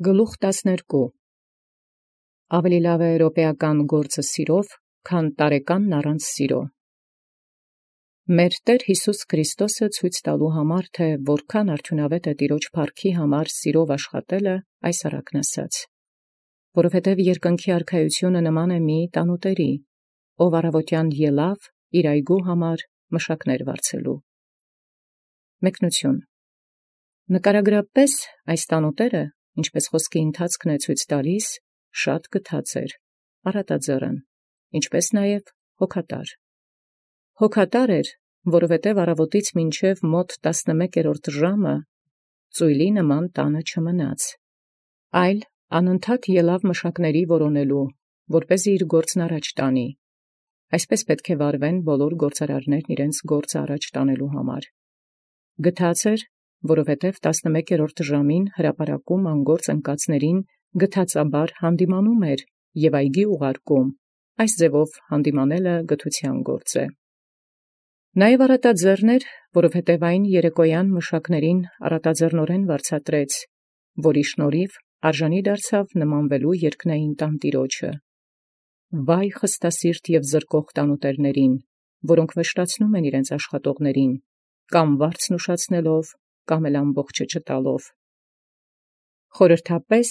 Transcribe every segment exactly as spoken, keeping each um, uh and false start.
Գլուխ տասներկու Ավելի լավ է էրոպեական գործը սիրով, քան տարեկանն առանց սիրո։ Մեր Տեր Յիսուս Քրիստոսը ցույց տալու համար, թե որքան արդյունավետ է Տիրոջ փառքի համար սիրով աշխատելը, այս առակն ասաց. որովհետև երկնքի արքայությունը նման է մի տանուտերի, ով առավոտյան ելավ իր այգու համար մշակներ վարձելու։ Մեկնություն. Նկարագրապես այս տանուտերը, ինչպես խոսքի ընթացքն է ցույց տալիս, շատ գթած էր, առատաձեռն, ինչպես նաև հոգատար։ Հոգատար էր, որովհետև առավոտից մինչև մոտ տասնմեկերորդ ժամը ծույլի նման տանը չմնաց, այլ անընդհատ ելավ մշակների որոնելու, որպեսզի իր գործն առաջ տանի։ Այսպես պետք է վարվեն բոլոր գործարարներն իրենց գործը առաջ տանելու համար։ Գթած էր, որովհետև տասնմեկերորդ ժամին հրապարակում անգործ ընկածներին գթածաբար հանդիմանում էր և այգի ուղարկում, այս ձևով հանդիմանելը գթության գործ է։ Նաև առատաձեռն էր, որովհետև այն երեկոյան մշակներին առատաձեռնորեն վարձատրեց, որի շնորհիվ արժանի դարձավ նմանվելու երկնային տանտիրոջը։ Վայ խստասիրտ և զրկող տանուտերներին, որոնք վշտացնում են իրենց աշխատողներին, կամ վարձն ուշացնելով, կամ էլ ամբողջը չտալով։ Խորհրդապես,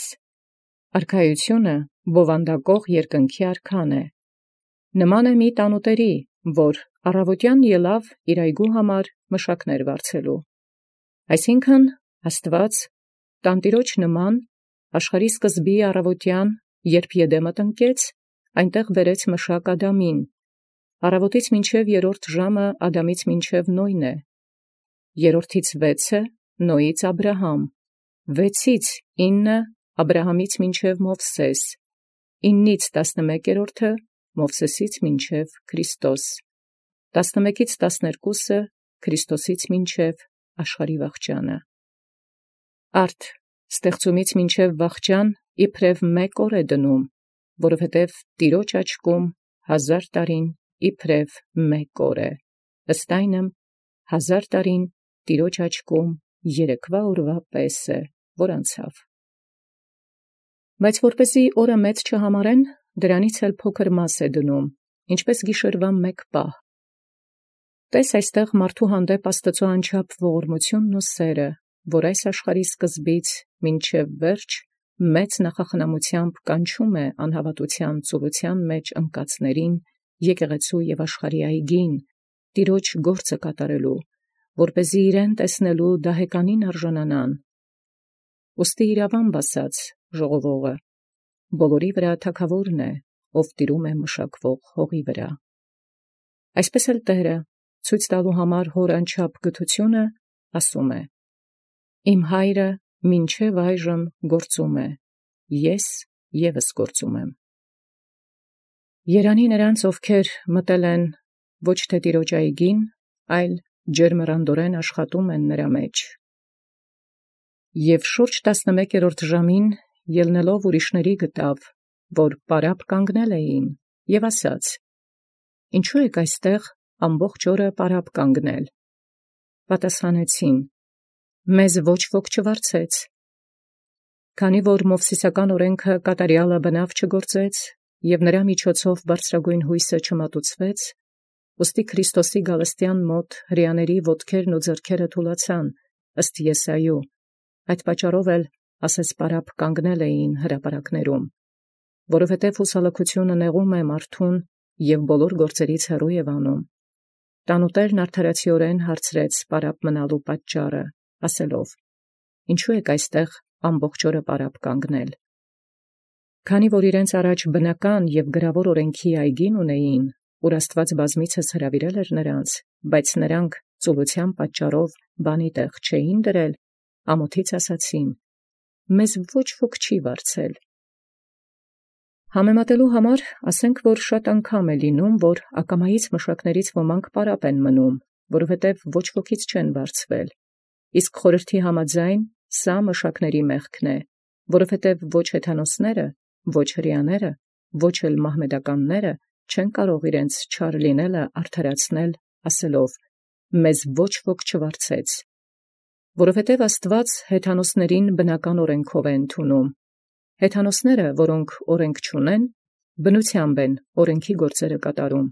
արքայությունը բովանդակող երկնքի արքան է, նման է մի տանուտերի, որ առավոտյան ելավ իր այգու համար մշակներ վարձելու։ Այսինքն, Աստված տանտիրոջ նման աշխարհի սկզբի առավոտյան, երբ Եդեմը տնկեց, այնտեղ բերեց մշակ Ադամին, առավոտից մինչև երրորդ ժամը Ադամից մինչև Նոյն է, երրորդից վեցը Նոյից Աբրահամ, վեցից ինը Աբրահամից մինչև Մովսես, իննից տասնմեկերորդը Մովսեսից մինչև Քրիստոս, տասնմեկից տասներկուսը Քրիստոսից մինչև աշխարհի վախճանը։ Արդ ստեղծումից մինչև վախճան իբրև մեկ օր է դնում, որովհետև Տիրոջ աչքում հազար տարին իբրև մեկ օր է, ըստ այնմ հազար տարին Տիրոջ աչքում երեկվա օրվա պես է, որ անցավ։ Բայց որպեսզի օրը մեծ չհամարեն, դրանից էլ փոքր մաս է դնում, ինչպես գիշերվա մեկ պահ։ Տես այստեղ մարդու հանդեպ Աստծո անչափ ողորմությունն ու սերը, որ այս աշխարհի սկզբից մինչև վերջ մեծ նախախնամությամբ կանչում է անհավատության ծուլության մեջ ընկածներին, եկեղեցու և աշխարհի այգին, Տիրոջ գործը կատարելու, որպեսզի իրեն տեսնելու դահեկանին արժանանան։ Ուստի իրավամբ ասած ժողովողը, բոլորի վրա թագավորն է, ով տիրում է մշակվող հողի վրա։ Այսպես էլ Տերը, ցույց տալու համար հոր անչափ գթությունը, ասում է. «Իմ հայրը մինչև այժմ գործում է, ես ևս գործում եմ»։ Երանի նրանց, ովքեր մտել են ոչ թե Տիրոջ այգին, այլ ջերմեռանդորեն աշխատում են նրա մեջ։ Եվ շուրջ տասնմեկերորդ ժամին ելնելով ուրիշների գտավ, որ պարապ կանգնել էին, և ասաց. «Ինչու եք այստեղ ամբողջ օրը պարապ կանգնել»։ Պատասխանեցին. «Մեզ ոչ ոք չվարձեց»։ Քանի որ Մովսիսական օրենքը կատարյալը բնավ չգործեց, և նրա միջոցով բարձրագույն հույսը չմատուցվեց, ուստի Քրիստոսի գալստյան մոտ հրեաների ոտքերն ու ձեռքերը թուլացան, ըստ Եսայու, այդ պատճառով էլ ասես պարապ կանգնել էին հրապարակներում, որովհետև հուսալքությունը նեղում է մարդուն և բոլոր գործերից հեռու է անում։ Տանուտերն արդարացիորեն հարցրեց պարապ մնալու պատճառը, ասելով. «Ինչու եք այստեղ ամբողջ օրը պարապ կանգնել»։ Քանի որ իրենց առաջ բնական և գրավոր օրենքի այգին ունեին, ուր Աստված բազմիցս հրավիրել էր նրանց, բայց նրանք ծուլության պատճառով բանի տեղ չէին դրել, ամոթից ասացին. «Մեզ ոչ ոք չի վարձել»։ Համեմատելու համար ասենք, որ շատ անգամ է լինում, որ ակամայից մշակներից ոմանք պարապ են մնում, որովհետև ոչ ոքից չեն վարձվել, իսկ խորհրդի համաձայն սա մշակների մեղքն է, որովհետև ոչ հեթանոսները, ոչ հրեաները, ոչ էլ մահմեդականները չեն կարող իրենց չար լինելը արդարացնել, ասելով. «Մեզ ոչ ոք չվարձեց», որովհետև Աստված հեթանոսներին բնական օրենքով է ընդունում, Հեթանոսները, որոնք օրենք չունեն, բնութեամբ են օրենքի գործերը կատարում,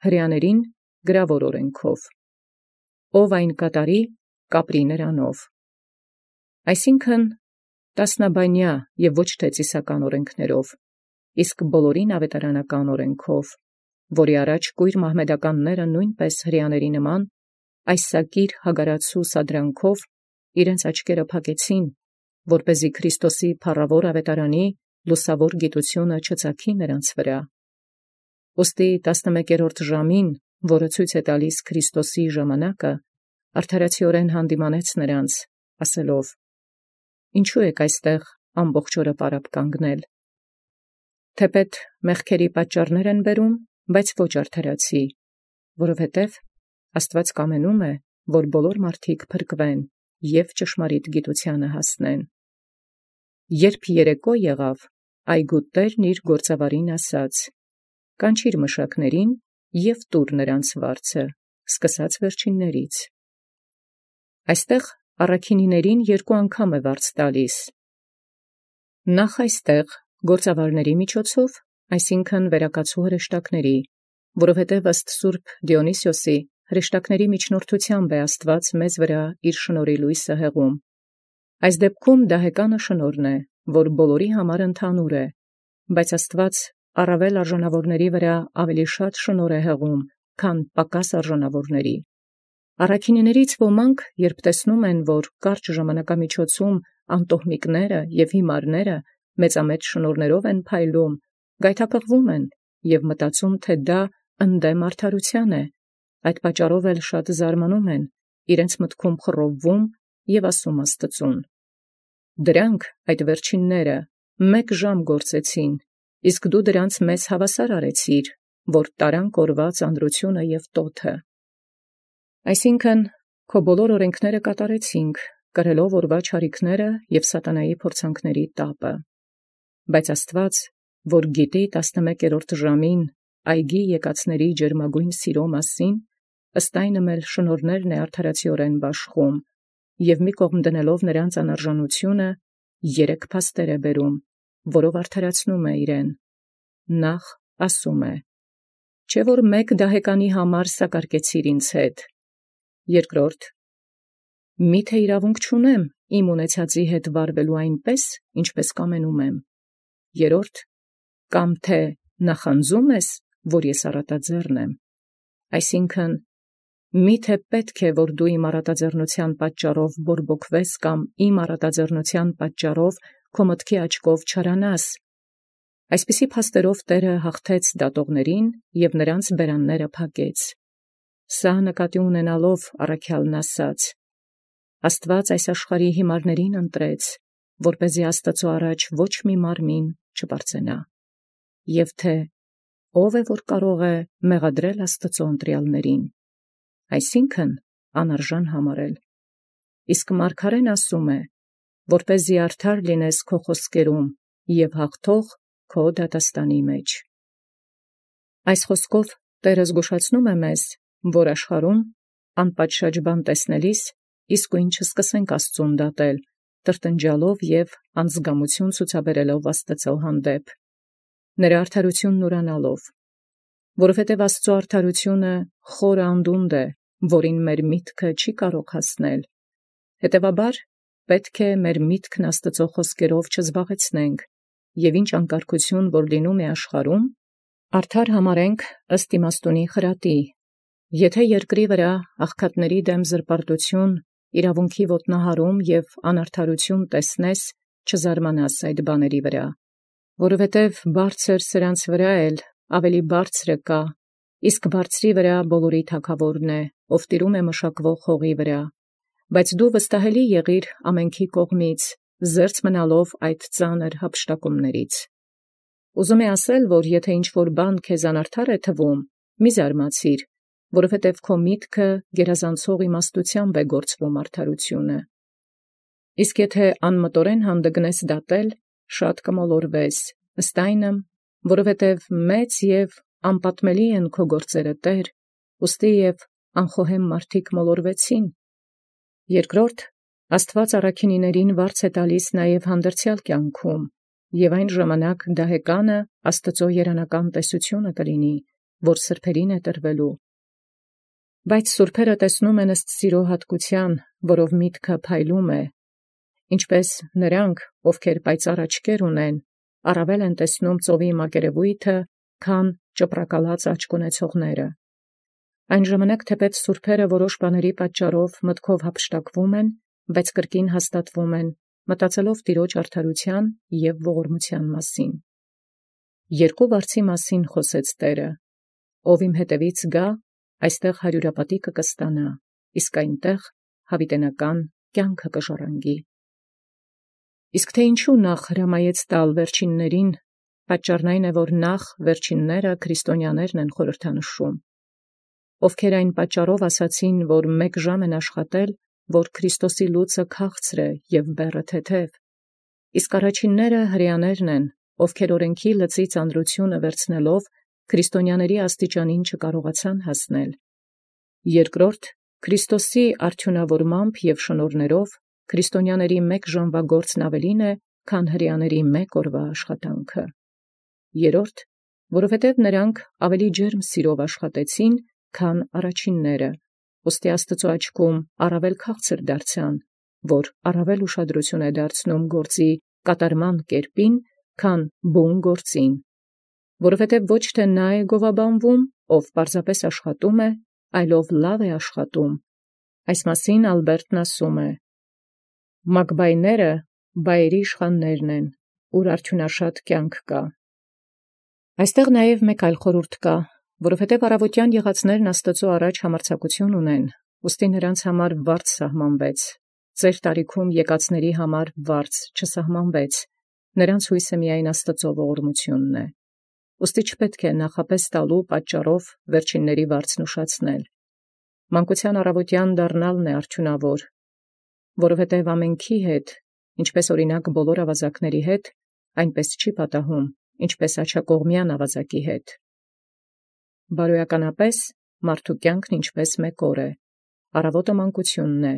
հրեաներին գրավոր օրենքով, ով այն կատարի, կապրի նրանով։ Այսինքն տասնաբանյա և ոչ թե ծիսական օրենքներով, իսկ բոլորին ավետարանական օրենքով, որի առաջ կույր մահմեդականները նույնպես հրեաների նման, այս սակիր հագարացու սադրանքով իրենց աչքերը փակեցին, որպեսզի Քրիստոսի փառավոր ավետարանի լուսավոր գիտությունը չծագի նրանց վրա։ Ուստի տասնմեկերորդ ժամին, որը ցույց է տալիս Քրիստոսի ժամանակը, արդարացիորեն հանդիմանեց նրանց, ասելով. «Ինչու եք այստեղ ամբողջ օրը պարապ կանգնել։ Թեպետ մեղքերի պատճառներ են բերում, բայց ոչ արդարացի, որովհետև Աստված կամենում է, որ բոլոր մարդիկ փրկվեն և ճշմարիտ գիտությանը հասնեն»։ Երբ երեկո եղավ, այգու տերն իր գործավարին ասաց. «Կանչիր մշակներին և տուր նրանց վարձը, սկսած վերջիններից»։ Այստեղ առաքինիներին երկու անգամ է վարձ տալիս. նախ այստեղ գործավարների միջոցով, այսինքն վերակացու հրեշտակների, որովհետև ըստ Սուրբ Դիոնիսիոսի հրեշտակների միջնորդությամբ է Աստված մեզ վրա իր շնորհի լույսը հեղում։ Այս դեպքում դահեկանը շնորհն է, որ բոլորի համար ընդհանուր է, բայց Աստված առավել արժանավորների վրա ավելի շատ շնորհ է հեղում, քան պակաս արժանավորների։ Առաքինիներից ոմանք, երբ տեսնում են, որ կարճ ժամանակամիջոցում անտոհմիկները և հիմարները մեծամեծ շնորհներով են փայլում, գայթակղվում են և մտածում, թե դա ընդդեմ արդարության է, այդ պատճառով էլ շատ զարմանում են, իրենց մտքում խռովվում և ասում Աստծուն. «Դրանք, այդ վերջինները, մեկ ժամ գործեցին, իսկ դու դրանց մեզ հավասար արեցիր, որ տարան կորված անրությունը և տոթը»։ Այսինքն, քո բոլոր օրենքները կատարեցինք, կրելով օրվա չարիքները և սատանայի փորձանքների տապը։ Բայց Աստված, որ գիտի տասնմեկերորդ ժամին այգի եկածների ջերմագույն սիրո մասին, ըստ այնմ էլ շնորհներն է արդարացիորեն բաշխում, և մի կողմ դնելով նրանց անարժանությունը, երեք փաստեր է բերում, որով արդարացնում է իրեն։ Նախ ասում է. «Չէ՞ որ մեկ դահեկանի համար սակարկեցիր ինձ հետ»։ Երկրորդ. «Մի՞թե իրավունք չունեմ իմ ունեցածի հետ վարվելու այնպես, ինչպես կամենում եմ»։ Երրորդ. «Կամ թե նախանձում ես, որ ես առատաձեռն եմ»։ Այսինքն, մի՞թե պետք է, որ դու իմ առատաձեռնության պատճառով բորբոքվես կամ իմ առատաձեռնության պատճառով քո մտքի աչքով չարանաս։ Այսպիսի փաստերով Տէրը հաղթեց դատողներին և նրանց բերանները փակեց։ Սա նկատի ունենալով առաքյալն ասաց. «Աստված այս աշխարհի հիմարներին ընտրեց, որպեսզի Աստծու առաջ ոչ մի մարմին չպարծենա»։ Եվ թե ո՞վ է, որ կարող է մեղադրել Աստծու ընտրյալներին, այսինքն անարժան համարել։ Իսկ մարգարեն ասում է, որպեսզի արդար լինես քո խոսքերում և հաղթող քո դատաստանի մեջ։ Այս խոսքով Տէրը զգուշացնում է մեզ, որ աշխարհում անպատշաճ բան տեսնելիս իսկույն չսկսենք Աստծուն դատել, տրտնջալով և անձգամություն ցուցաբերելով Աստծու հանդեպ, նրա արդարությունն ուրանալով, որովհետև Աստծու արդարությունը խորը անդունդ է, որին մեր միտքը չի կարող հասնել։ Հետևաբար պետք է մեր միտքն Աստծու խոսքերով չզբաղեցնենք, և ինչ անկարգություն որ լինում է աշխարհում, արդար համարենք ըստ իմաստունի խրատի։ Եթե երկրի վրա աղքատների դեմ զրպարտություն, իրավունքի ոտնահարում և անարդարություն տեսնես, չզարմանաս այդ բաների վրա, որովհետև բարձր սրանց վրա էլ ավելի բարձրը կա, իսկ բարձրի վրա բոլորի թագավորն է, ով տիրում է մշակվող հողի վրա, բայց դու վստահելի եղիր ամենքի կողմից, զերծ մնալով այդ ծանր հափշտակումներից։ Ուզում է ասել, որ եթե ինչ-որ բան քեզ անարդար է թվում, մի զարմացիր, որովհետև քո միտքը գերազանցող իմաստությամբ է գործվում արդարությունը։ Իսկ եթե անմտորեն հանդգնես դատել, շատ կմոլորվես, ըստ այնմ, որովհետև մեծ և անպատմելի են քո գործերը, Տէր, ուստի և անխոհեմ մարդիկ մոլորվեցին։ Երկրորդ, Աստված առաքինիներին վարձ է տալիս նաև հանդերձյալ կյանքում, և այն ժամանակ դահեկանը Աստուծոյ երանական տեսությունը կլինի, որ սրբերին է տրվելու։ Բայց սուրբերը տեսնում են ըստ սիրո հատկության, որով միտքը փայլում է, ինչպես նրանք, ովքեր պայծառ աչքեր ունեն, առավել են տեսնում ծովի մակերևույթը, քան ճպրակալած աչք ունեցողները։ Այն ժամանակ թեպետ սուրբերը որոշ բաների պատճառով մտքով հափշտակվում են, բայց կրկին հաստատվում են, մտածելով Տիրոջ արդարության և ողորմության մասին։ Երկու վարձի մասին խոսեց Տէրը. ով իմ հետևից գա, այստեղ հարյուրապատիկը կստանա, իսկ այնտեղ յաւիտենական կյանքը կժառանգի։ Իսկ թե ինչու նախ հրամայեց տալ վերջիններին, պատճառն այն է, որ նախ վերջինները քրիստոնյաներն են խորհրդանշում, ովքեր այն պատճառով ասացին, որ մեկ ժամ են աշխատել, որ Քրիստոսի լուծը քաղցր է և բեռը թեթև, իսկ առաջինները հրեաներն են, ովքեր օրենքի լծի ծանրությունը վերցնելով քրիստոնյաների աստիճանին չկարողացան հասնել։ Երկրորդ, Քրիստոսի արդյունավորմամբ և շնորհներով քրիստոնյաների մեկ ժամվա գործն ավելին է, քան հրեաների մեկ օրվա աշխատանքը։ Երրորդ, որովհետև նրանք ավելի ջերմ սիրով աշխատեցին, քան առաջինները, ուստի Աստուծոյ աչքում առավել քաղցր դարձան, որ առավել ուշադրություն է դարձնում գործի կատարման կերպին, քան բուն գործին, որովհետև ոչ թե նա է գովաբանվում, ով պարզապես աշխատում է, այլով լավ է աշխատում։ Այս մասին Ալբերտն ասում է. «Մակբայները բայերի իշխաններն են, ուր արդյունաշատ կյանք կա»։ Այստեղ նաև մեկ այլ խորհուրդ կա, որովհետև առավոտյան եղածներն Աստուծոյ առաջ համարձակություն ունեն, ուստի նրանց համար վարձ սահմանվեց, ծեր տարիքում եկածների համար վարձ չսահմանվեց, նրանց հույսը միայն Աստուծոյ ողորմությունն է։ Ուստի չպետք է նախապես տալու պատճառով վերջինների վարձն ուշացնել։ Մանկության առավոտյան դառնալն է արդյունավոր, որովհետև ամենքի հետ, ինչպես օրինակ բոլոր ավազակների հետ, այնպես չի պատահում, ինչպես աջակողմյան ավազակի հետ։ Բարոյականապես մարդու կյանքն ինչպես մեկ օր է, առավոտը մանկությունն է,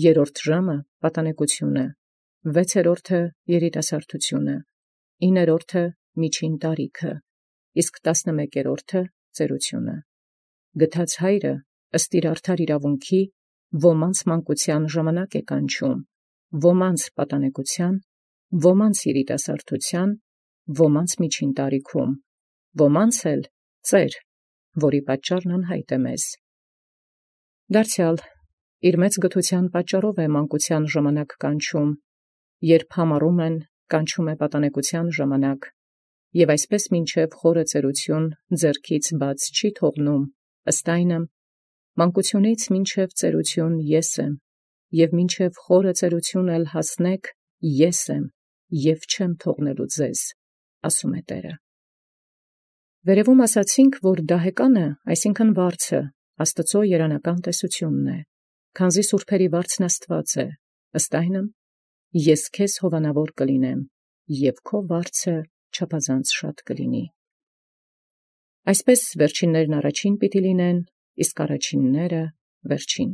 երրորդ ժամը պատանեկությունը, վեցերորդը երիտասարդությունը, իներորդը միջին տարիքը, իսկ տասնմեկերորդը ծերությունը։ Գթած հայրը ըստ իր արդար իրավունքի ոմանց մանկության ժամանակ է կանչում, ոմանց պատանեկության, ոմանց երիտասարդության, ոմանց միջին տարիքում, ոմանց էլ ծեր, որի պատճառն անհայտ է մեզ։ Դարձյալ իր մեծ գթության պատճառով է մանկության ժամանակ կանչում, երբ համառում են, կանչում է պատանեկության ժամանակ, և այսպես մինչև խորը ծերություն ձեռքից բաց չի թողնում, ըստ այնմ, մանկությունից մինչև ծերություն ես եմ, և մինչև խորը ծերություն էլ հասնեք, ես եմ, և չեմ թողնելու ձեզ, ասում է Տէրը։ Վերևում ասացինք, որ դահեկանը, այսինքն վարձը, Աստուծոյ երանական տեսությունն է, քանզի սուրբերի վարձն Աստուած է, ըստ այնմ, ես քեզ հովանավոր կլինեմ, և քո վարձը չափազանց շատ կլինի։ Այսպես վերջիններն առաջին պիտի լինեն, իսկ առաջինները վերջին։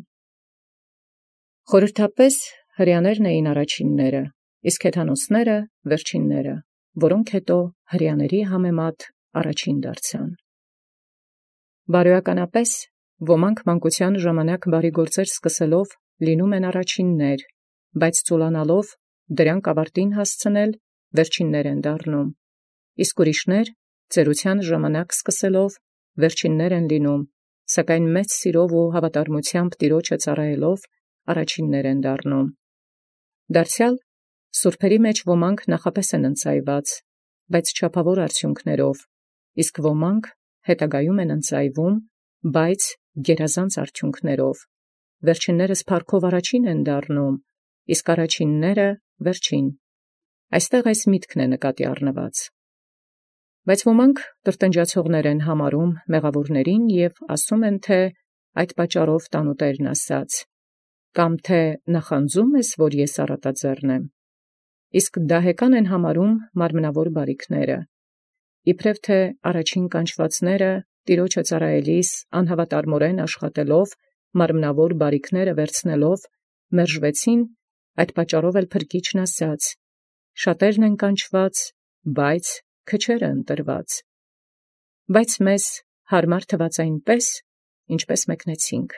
Խորհրդապես հրեաներն էին առաջինները, իսկ հեթանոսները վերջինները, որոնք հետո հրեաների համեմատ առաջին դարձան։ Բարոյականապես ոմանք մանկության ժամանակ բարի գործեր սկսելով լինում են առաջիններ, բայց ծուլանալով դրանք ավարտին հասցնել վերջիններ են դառնում, իսկ ուրիշներ ծերության ժամանակ սկսելով վերջիններ են լինում, սակայն մեծ սիրով ու հավատարմությամբ Տիրոջը ծառայելով առաջիններ են դառնում։ Դարձյալ սուրբերի մեջ ոմանք նախապես են ընծայված, բայց չափավոր արդյունքներով, իսկ ոմանք հետագայում են ընծայվում, բայց գերազանց արդյունքներով, վերջիններս փառքով առաջին են դառնում, իսկ առաջինները վերջին։ Այստեղ այս միտքն է նկատի առնված։ Բայց ոմանք տրտնջացողներ են համարում մեղավորներին և ասում են, թե այդ պատճառով տանուտերն ասաց. կամ թե նախանձում ես, որ ես առատաձեռն եմ, իսկ դահեկան են համարում մարմնավոր բարիքները, իբրև թե առաջին կանչվածները Տիրոջը ծառայելիս անհավատարմորեն աշխատելով, մարմնավոր բարիքները վերցնելով, մերժվեցին, այդ պատճառով էլ Փրկիչն ասաց. շատերն են կանչված, բայց քչերը ընտրված։ Բայց մեզ հարմար թված այնպէս, ինչպէս մեկնեցինք։